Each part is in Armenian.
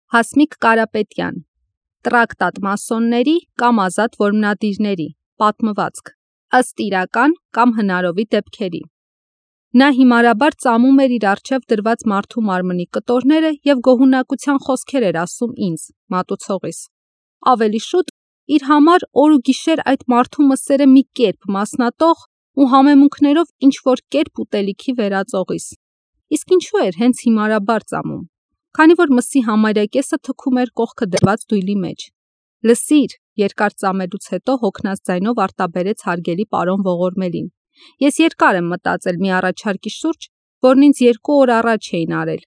Հասմիկ Կարապետյան, Տրակտատ մասոնների կամ ազատ որմնադիրների, պատմվածք, ըստ իրական կամ հնարովի դեպքերի։ Նա հիմարաբար ծամում էր իր առջև դրված մարդու մարմնի կտորները և գոհունակության խոսքեր էր ասում ինձ, մատուցողիս։ Ավելի շուտ իր համար օր ու գիշեր այդ մարդու մսերը մի կերպ մասնատող ու համեմունքներով ինչ-որ կերպ ուտելիքի վերածողիս։ Իսկ ինչու էր հենց հիմարաբար ծամում, քանի որ մսի համարյա կեսը թքում էր կողքը դրված դույլի մեջ։ Լսիր, երկար ծամելուց հետո հոգնած ձայնով արտաբերեց հարգելի պարոն ողորմելին։ Ես երկար եմ մտածել մի առաջարկի շուրջ, որն ինձ 2 օր առաջ էին արել,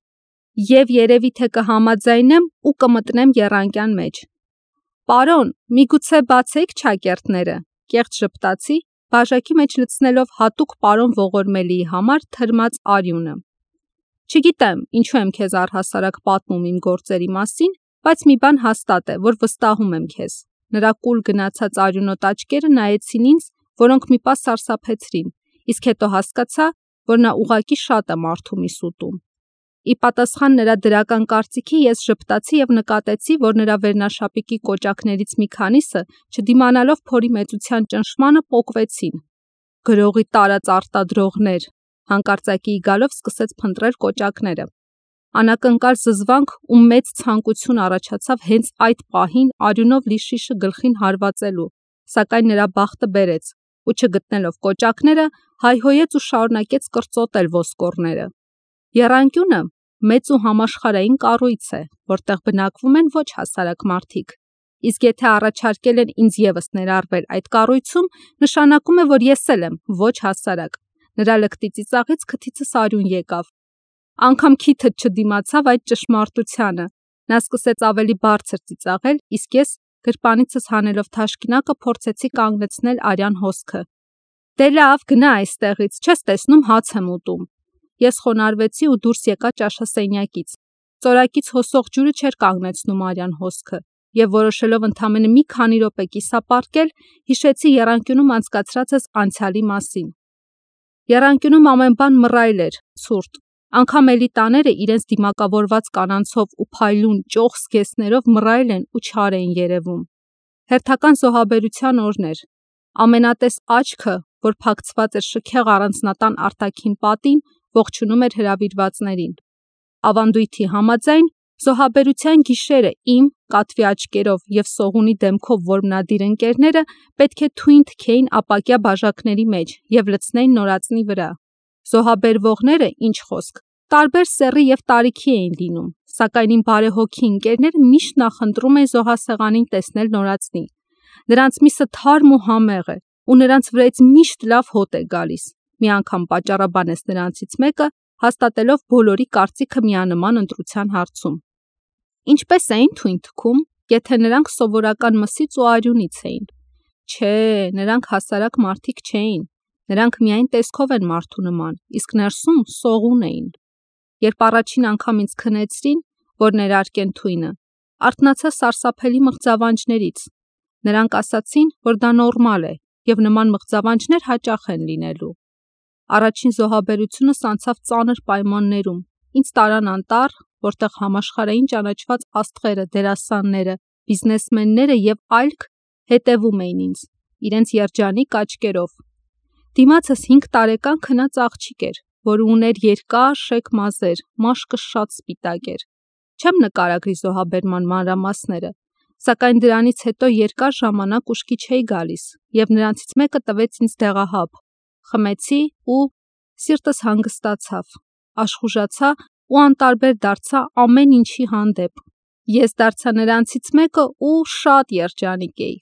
և երևի թե կհամաձայնեմ ու կմտնեմ եռանկյան մեջ։ Պարոն, միգուցե բացեիք չակերտները, կեղծ ժպտացի, բաժակի մեջ լցնելով հատուկ պարոն ողորմելիի համար թրմած արյունը։ Չգիտեմ, ինչու եմ քեզ առհասարակ պատմում իմ գործերի մասին, բայց մի բան հաստատ է, որ վստահում եմ քեզ։ Նրա կուլ գնացած արյունոտ աչքերը նայեցին ինձ, որոնք մի պահ սարսափեցրին, իսկ հետո հասկացա, որ նա ուղղակի շատ է մարդու միս ուտում։ Ի պատասխան նրա դրական կարծիքի ես ժպտացի և նկատեցի, որ նրա վերնաշապիկի կոճակներից մի քանիսը, չդիմանալով փորի մեծության ճնշմանը, պոկվեցին։ Գրողի տարած արտադրողներ, հանկարծակիի գալով սկսեց փնտրել կոճակները։ Անակնկալ զզվանք ու մեծ ցանկություն առաջացավ հենց այդ պահին արյունով լի շիշը գլխին հարվածելու, սակայն նրա բախտը բերեց, ու չգտնելով կոճակները, հայհոյեց ու շարունակեց կրծոտել ոսկորները։ Եռանկյունը մեծ ու համաշխարհային կառույց է, որտեղ բնակվում են ոչ հասարակ մարդիկ, իսկ եթե առաջարկել են ինձ ևս ներառվել այդ կառույցում, նշանակում է, որ ես էլ եմ ոչ հասարակ։ Նրա լկտի ծիծաղից քթիցս արյուն եկավ։ Անգամ քիթդ չդիմացավ այդ ճշմարտությանը։ Նա սկսեց ավելի բարձր ծիծաղել, իսկ ես գրպանիցս հանելով թաշկինակը փորձեցի կանգնեցնել արյան հոսքը։ Դե լավ, գնա այստեղից, չես տեսնում հաց եմ ուտում։ Ես խոնարհվեցի ու դուրս եկա ճաշասենյակից։ Ծորակից հոսող ջուրը չէր կանգնեցնում արյան հոսքը, և որոշելով ընդամենը մի քանի րոպե կիսապարկել, հիշեցի եռանկյունում անցկացրածս անցյալի մասին։ Եռանկյունում ամեն բան մռայլ էր, ցուրտ։ Անգամ էլիտաները իրենց դիմակավորված կանանցով ու փայլուն ճոխ զգեստներով մռայլ են ու չար էին երևում։ Հերթական զոհաբերության օրներ։ Ամենատես աչքը, որ փակցված էր շքեղ առանձնատան արտաքին պատին, ողջունում էր հրավիրվածներին։ Ավանդույթի համաձայն, զոհաբերության գիշերը իմ, կատվի աչքերով և սողունի դեմքով որմնադիր ընկերները պետք է թույն թքեին ապակյա բաժակների մեջ և լցնեին նորածնի վրա։ Զոհաբերվողները, ինչ խոսք, տարբեր սեռի և տարիքի էին լինում, սակայն իմ բարեհոգի ընկերները միշտ նախընտրում էին զոհասեղանին տեսնել նորածնի։ Նրանց միսը թարմ ու համեղ է, ու նրանց վրայից միշտ լավ հոտ է գալիս։ Մի անգամ պատճառաբանեց նրանցից մեկը, հաստատելով բոլորի կարծիքը միանման ընտրության հարցում։ Ինչպես էին թույն թքում, եթե նրանք սովորական մսից ու արյունից էին։ Չէ, նրանք հասարակ մարդիկ չէին։ Նրանք միայն տեսքով են մարդու նման, իսկ ներսում սողուն էին։ Երբ առաջին անգամ ինձ քնեցրին, որ ներարկեն թույնը, արթնացա սարսափելի մղձավանջներից։ Նրանք ասացին, որ դա նորմալ է, և նման մղձավանջներ հաճախ են լինելու։ Առաջին զոհաբերությունս անցավ ծանր պայմաններում։ Ինձ տարան անտառ, որտեղ համաշխարհային ճանաչված աստղերը, դերասանները, բիզնեսմենները և այլք հետևում էին ինձ, իրենց երջանիկ աչքերով։ Դիմացս 5 տարեկան քնած աղջիկ էր, որը ուներ երկար շեք մազեր, մաշկը շատ սպիտակ էր։ Չեմ նկարագրի զոհաբերման մանրամասները, սակայն դրանից հետո երկար ժամանակ ուշքի չէի գալիս, և նրանցից մեկը տվեց ինձ դեղահաբ։ Խմեցի ու սիրտս հանգստացավ, աշխուժացա ու անտարբեր դարձա ամեն ինչի հանդեպ։ Ես դարձա նրանցից մեկը ու շատ երջանիկ էի։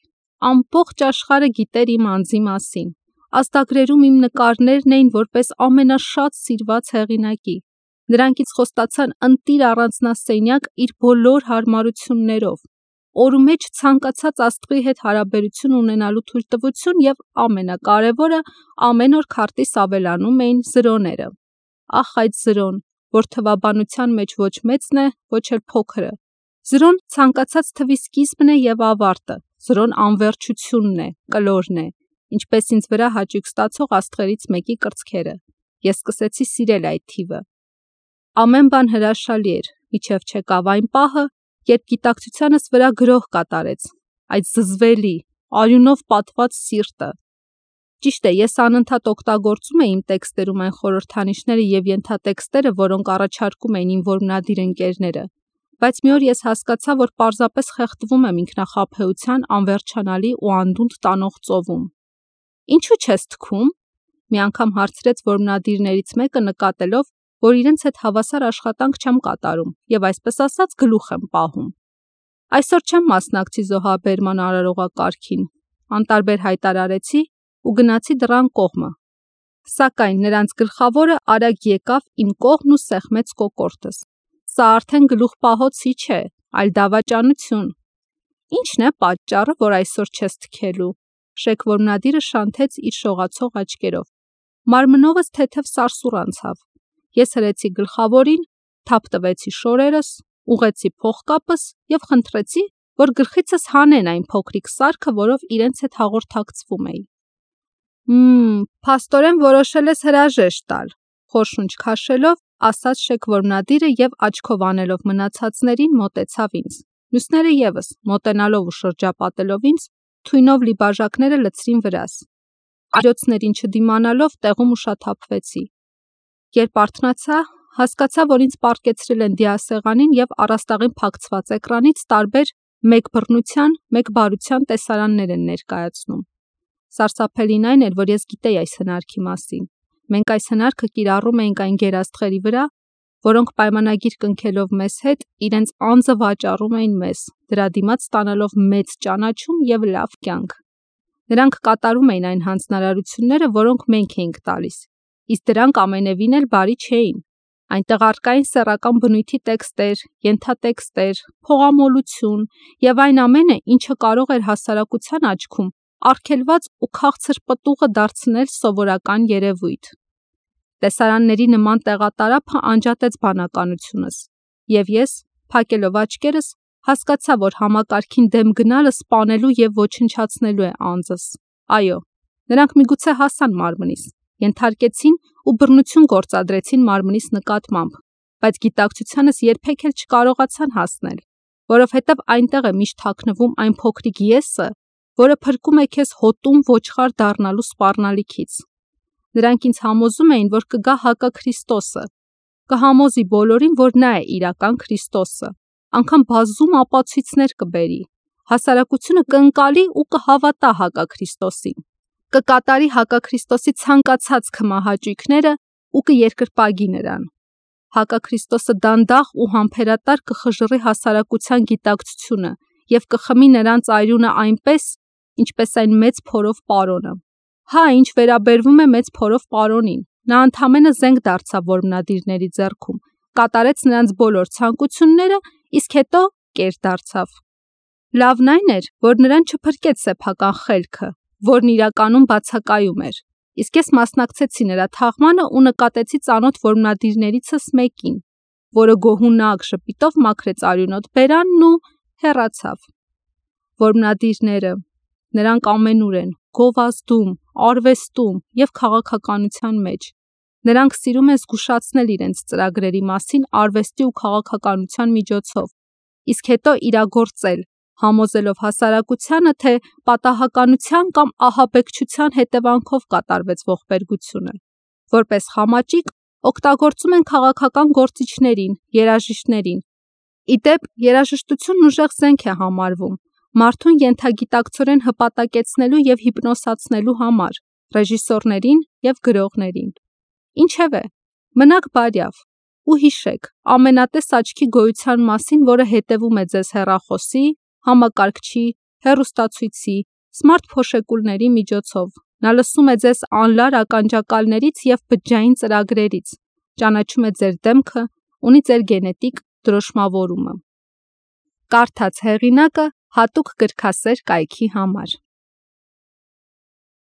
Ամբողջ աշխարհը գիտեր իմ անձի մասին։ Ազդագրերում իմ նկարներն էին որպես ամենաշատ սիրված հեղինակի։ Նրանքից խոստացան ընտիր առանձնասենյակ իր բոլոր հարմարություններով, օրումեջ ցանկացած աստղի հետ հարաբերություն ունենալու թույլտվություն և ամենակարևորը, ամեն օր քարտիս ավելանում էին զրոները։ Ախ, այդ զրոն, որ թվաբանության մեջ ոչ մեծն է, ոչ էլ փոքրը։ Զրոն ցանկացած թվի սկիզբն է և ավարտը, զրոն անվերջությունն է, կլորն է, ինչպես ինձ վրա հաճույք ստացող աստղերից մեկի կրծքերը։ Ես սկսեցի սիրել այդ թիվը։ Ամեն բան հրաշալի էր, մինչև չեկավ այն պահը, երբ գիտակցությանս վրա գրոհ կատարեց, այդ զզվելի, արյունով պատված սիրտը։ Ճիշտ է, ես անընդհատ օգտագործում էի իմ տեքստերում այն խորհրդանիշները և ենթատեքստերը, որոնք առաջարկում էին իմ որմնադիր ընկերները, բայց մի օր ես հասկացա, որ պարզապես խեղդվում եմ ինքնախաբեության անվերջանալի ու անդունդ տանող ծովում։ Ինչու չես թքում, մի անգամ հարցրեց որմնադիրներից մեկը, նկատելով, որ իրենց հետ հավասար աշխատանք չեմ կատարում և այսպես ասած գլուխ եմ պահում։ Այսօր չեմ մասնակցի զոհաբերման արարողակարգին, անտարբեր հայտարարեցի ու գնացի դռան կողմը։ Սակայն նրանց գլխավորը արագ եկավ իմ կողմն ու սեղմեց կոկորդս։ Սա արդեն գլուխ պահոցի չէ, այլ դավաճանություն։ Ի՞նչն է պատճառը, որ այսօր չես թքելու, շեք որմնադիրը շանթեց իր շողացող աչքերով։ Մարմնովս թեթև սարսուռ անցավ։ Ես հրեցի գլխավորին, թափ տվեցի շորերս, ուղղեցի փողկապս և խնդրեցի, որ գլխիցս հանեն այն փոքրիկ սարքը, որով իրենց հետ հաղորդակցվում էի։ Փաստորեն որոշել ես հրաժեշտ տալ, խորշունչ քաշելով, ասաց շեք որմնադիրը և աչքով անելով մնացածներին մոտեցավ ինձ։ Մյուսները ևս, մոտենալով ու շրջապատելով ինձ, թույնով լի բաժակները լցրին վրաս։ Աջոցներին չդիմանալով տեղում ուշաթափվեցի։ Երբ արթնացա, հասկացա, որ ինձ պառկեցրել են դիասեղանին և առաստաղին փակցված էկրանից տարբեր մեկ բռնության, մեկ բարության տեսարաններ են ներկայացնում։ Սարսափելին այն էր, որ ես գիտեի այս հնարքի մասին։ Մենք այս հնարքը կիրառում էինք այն գերաստղերի վրա, որոնք պայմանագիր կնքելով մեզ հետ, իրենց անձը վաճառում էին մեզ, դրա դիմաց ստանալով մեծ ճանաչում և լավ կյանք։ Նրանք կատարում էին այն հանձնարարությունները, որոնք մենք էինք տալիս, իսկ դրանք ամենևին էլ բարի չէին։ Այնտեղ առկա էին սեռական բնույթի տեքստեր, ենթատեքստեր, փողամոլություն և այն ամենը, ինչը կարող էր հասարակության աչքում արգելված ու քաղցր պտուղը դարձնել սովորական երևույթ։ Տեսարանների նման տեղատարափը անջատեց բանականությունս, և ես, փակելով աչքերս, հասկացա, որ համակարգին դեմ գնալը սպանելու և ոչնչացնելու է անձս։ Այո, նրանք միգուցե հասան մարմնիս, ենթարկեցին ու բռնություն գործադրեցին մարմնիս նկատմամբ, բայց գիտակցությանս երբեք էլ չկարողացան հասնել, որովհետև այնտեղ է միշտ թաքնվում այն փոքրիկ եսը, որը փրկում է քեզ հոտում ոչխար դառնալու սպառնալիքից։ Նրանք ինձ համոզում էին, որ կգա հակաքրիստոսը, կհամոզի բոլորին, որ նա է իրական Քրիստոսը, անգամ բազում ապացույցներ կբերի, հասարակությունը կընկալի ու կհավատա հակաքրիստոսին, կկատարի հակաքրիստոսի ցանկացած քմահաճույքները ու կերկրպագի նրան։ Հակաքրիստոսը դանդաղ ու համբերատար կխժռի հասարակության գիտակցությունը և կխմի նրանց արյունը այնպես, ինչպես այն մեծ փորով պարոնը։ Հա, ինչ վերաբերվում է մեծ փորով պարոնին, նա ընդամենը զենք դարձավ որմնադիրների ձեռքում, կատարեց նրանց բոլոր ցանկությունները, իսկ հետո կեր դարձավ։ Լավն այն էր, որ նրան չփրկեց սեփական խելքը, որն իրականում բացակայում էր, իսկ ես մասնակցեցի նրա թաղմանը ու նկատեցի ծանոթ որմնադիրներիցս մեկին, որը գոհունակ ժպիտով մաքրեց արյունոտ բերանն ու հեռացավ։ Որմնադիրները, նրանք ամենուր են, գովազդում, արվեստում և քաղաքականության մեջ։ Նրանք սիրում են զգուշացնել իրենց ծրագրերի մասին արվեստի ու քաղաքականության միջոցով, իսկ հետո իրագործել, համոզելով հասարակությանը, թե պատահականության կամ ահաբեկչության հետևանքով կատարվեց ողբերգությունը։ Որպես խամաճիկ օգտագործում են քաղաքական գործիչներին, երաժիշտներին։ Ի դեպ, երաժշտությունն ուժեղ զենք է համարվում մարդուն ենթագիտակցորեն հպատակեցնելու և հիպնոսացնելու համար, ռեժիսորներին և գրողներին։ Ինչևէ, մնաք բարյավ ու հիշեք ամենատես աչքի գոյության մասին, որը հետևում է ձեզ հեռախոսի, համակարգչի, հեռուստացույցի, սմարթ փոշեկուլների միջոցով։ Նա լսում է ձեզ անլար ականջակալներից և բջջային ծրագրերից, ճանաչում է ձեր դեմքը, ունի ձեր գենետիկ դրոշմավորումը։ Կարդաց հեղինակը հատուկ գրքասեր կայքի համար։